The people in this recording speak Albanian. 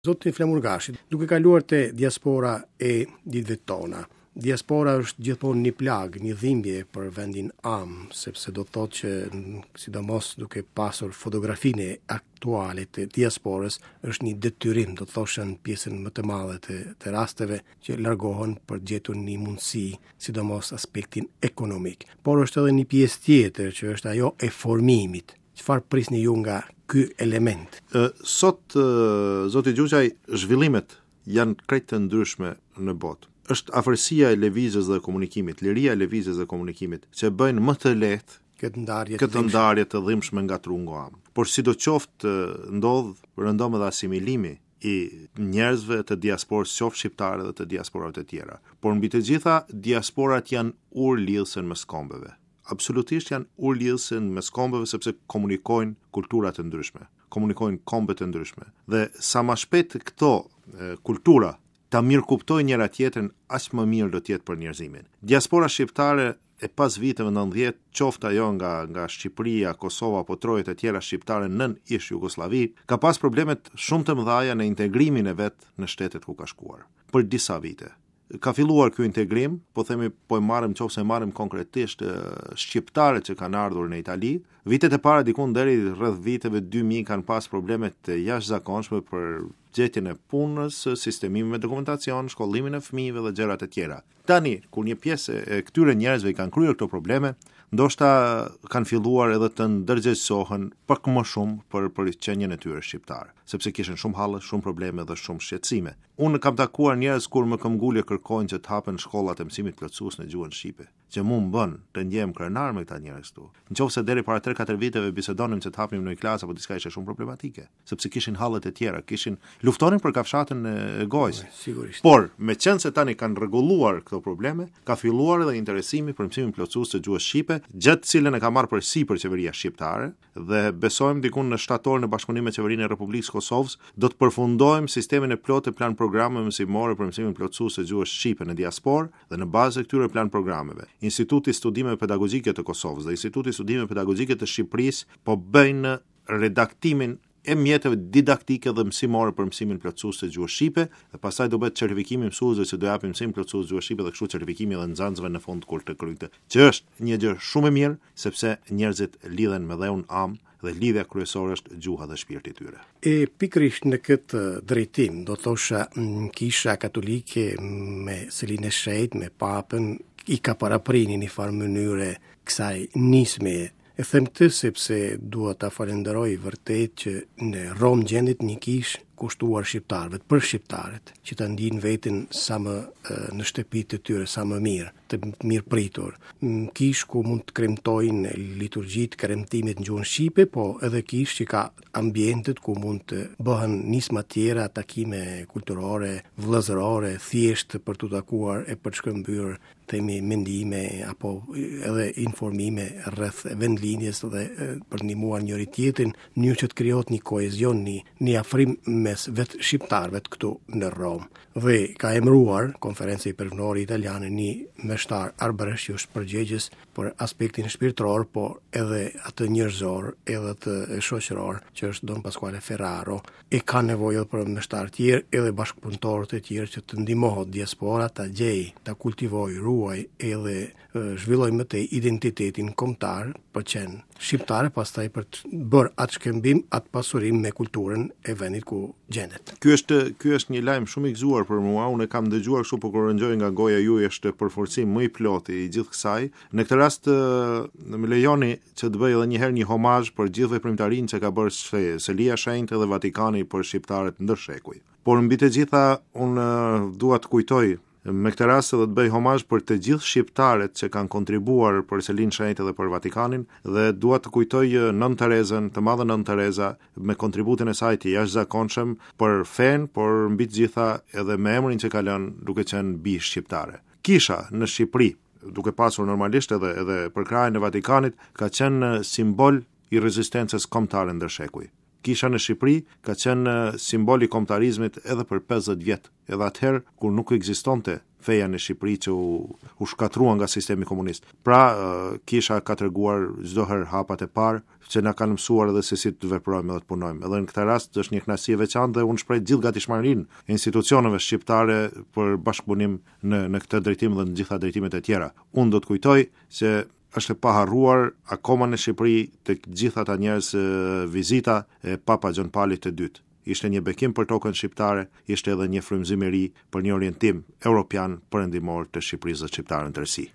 Zoti Flamur Gashi, duke kaluar te diaspora e ditëve tona. Diaspora është gjithmonë një plagë, një dhimbje për vendin amë, sepse do të thotë që sidomos duke pasur fotografinë aktuale të diasporës, është një detyrim, do të thosha në pjesën më të madhe të, të rasteve që largohen për të gjetur një mundësi, sidomos aspektin ekonomik. Por është edhe një pjesë tjetër që është ajo e formimit. Çfarë prisni ju nga ky element? Sot, zoti Gjuqaj, zhvillimet janë krejt të ndryshme në botë. Është afërsia e lëvizjes dhe komunikimit, liria e lëvizjes dhe komunikimit, që bëjnë më të lehtë këtë ndarje këtë ndarje të dhimbshme nga trungu amë. Por sidoqoftë ndodh rëndom edhe asimilimi i njerëzve të diasporës qoftë shqiptare dhe të diasporave të tjera. Por mbi të gjitha, diasporat janë urë lidhëse mes kombeve. Absolutisht janë urë lidhëse mes kombeve sepse komunikojnë kultura të ndryshme, komunikojnë kombe të ndryshme. Dhe sa ma shpejt këto kultura ta mirëkuptojnë njëra tjetrën, aq më mirë do të jetë për njerëzimin. Diaspora shqiptare e pas viteve 90, qoftë ajo nga nga Shqipëria, Kosova apo trojet e tjera shqiptare nën ish Jugosllavi, ka pas problemet shumë të mëdha në integrimin e vet në shtetet ku ka shkuar për disa vite. Ka filluar ky integrim, po themi po e marrim qoftë se e marrim konkretisht shqiptarët që kanë ardhur në Itali, vitet e para dikun deri rreth viteve 2000 kanë pas probleme të jashtëzakonshme për gjetjen e punës, sistemimin me dokumentacion, shkollimin e fëmijëve dhe gjërat e tjera. Tani, kur një pjesë e këtyre njerëzve i kanë kryer këto probleme, ndoshta kanë filluar edhe të ndërgjegjësohen pak më shumë për për qenien e tyre shqiptare, sepse kishin shumë halle, shumë probleme dhe shumë shqetësime. Unë kam takuar njerëz kur me këmbgulje kërkojnë që të hapen shkollat e mësimit plotësues në gjuhën shqipe, që mu më bën të ndjehem krenar me këta njerëz këtu. Në qoftë se deri para 3-4 viteve bisedonim që të hapnim ndonjë klasë apo diçka ishte shumë problematike, sepse kishin hallet e tjera, kishin luftonin për kafshatën e gojës. Sigurisht. Por, meqenëse tani kanë rregulluar këto probleme, ka filluar edhe interesimi për mësimin plotësues të gjuhës shqipe, gjë të cilën e ka marrë përsipër qeveria shqiptare, dhe besojmë dikun në shtator në bashkëpunim me Qeverinë e Republikës së Kosovës do të përfundojmë sistemin e plotë të plan programeve mësimore për mësimin plotësues të gjuhës shqipe në diasporë dhe në bazë të këtyre plan programeve, Instituti i Studimeve Pedagogjike të Kosovës dhe Instituti i Studimeve Pedagogjike të Shqipërisë po bëjnë redaktimin e mjeteve didaktike dhe mësimore për mësimin plotësues të gjuhës shqipe dhe pastaj do bëhet certifikimi i mësuesve që do japin mësim plotësues të gjuhës shqipe dhe kështu certifikimi edhe nxënësve në fund kur të kryejnë këtë, që është një gjë shumë e mirë sepse njerëzit lidhen me dheun amë dhe lidhja kryesore është gjuha dhe shpirti i tyre. E pikërisht në këtë drejtim, do thosha Kisha Katolike me Selinë e Shenjtë, me Papën, i ka parapri në një farë mënyre kësaj nisme. E them këtë sepse dua ta falenderoj vërtet që në Romë gjendet një kishë kushtuar shqiptarëve, për shqiptarët, që ta ndijnë veten sa më në shtëpi të tyre, sa më mirë, të mirëpritur. Kishë ku mund të kremtojnë liturgjitë, kremtimet në gjuhën shqipe, po edhe kishë që ka ambientet ku mund të bëhen nisma tjera, takime kulturore, vëllazërore, thjesht për t'u takuar e për të shkëmbyer themi mendime apo edhe informime rreth vendlindjes dhe për të ndihmuar njëri tjetrin në mënyrë që të krijohet një kohezion, një, një afrim mes vetë shqiptarëve këtu në Romë. Dhe ka emëruar Konferenca Ipërfnore Italiane një meshtar arbëresh që është përgjegjës për aspektin shpirtëror, po edhe atë njerëzor, edhe atë shoqëror, që është Don Pasquale Ferraro, e ka nevojë edhe për meshtarë tjerë, edhe bashkëpunëtorë të tjerë që të ndihmohet diaspora ta gjejë, ta kultivojë, ruajë edhe zhvillojë më tej identitetin kombëtar për qenë shqiptare, pastaj për të bërë atë shkëmbim, atë pasurim me kulturën e vendit ku gjendet. Ky është ky është një lajm shumë i gëzuar për mua. Unë e kam dëgjuar kështu, por kur e dëgjoj nga goja juaj është përforcim më i plotë i gjithë kësaj. Në këtë rast më lejoni që të bëj edhe një herë një homazh për gjithë veprimtarinë që ka bërë Selia e Shenjtë dhe Vatikani për shqiptarët ndër shekuj. Por mbi të gjitha unë dua të kujtoj me këtë rast edhe të bëj homazh për të gjithë shqiptarët që kanë kontribuar për Selinë e Shenjtë dhe për Vatikanin dhe dua të kujtoj Nënë Terezën, të madhe Nënë Tereza me kontributin e saj të jashtëzakonshëm për fenë, por mbi të gjitha edhe me emrin që ka lënë duke qenë bijë shqiptare. Kisha në Shqipëri, duke pasur normalisht edhe edhe përkrahjen e Vatikanit, ka qenë simbol i rezistencës kombëtare ndër shekuj. Kisha në Shqipëri ka qenë simbol i kombëtarizmit edhe për 50 vjet, edhe atëherë kur nuk ekzistonte feja në Shqipëri që u, u shkatërrua nga sistemi komunist. Pra, kisha ka treguar çdo herë hapat e parë që na kanë mësuar edhe se si të veprojmë edhe të punojmë. Edhe në këtë rast është një kënaqësi e veçantë dhe unë shpreh gjithë gatishmërinë e institucioneve shqiptare për bashkëpunim në në këtë drejtim dhe në gjitha drejtimet e tjera. Unë do të kujtoj se është e paharruar akoma në Shqipëri tek gjithë ata njerëz vizita e Papa Gjon Palit të dytë. Ishte një bekim për tokën shqiptare, ishte edhe një frymëzim i ri për një orientim europian perëndimor të Shqipërisë dhe shqiptarëve në tërësi.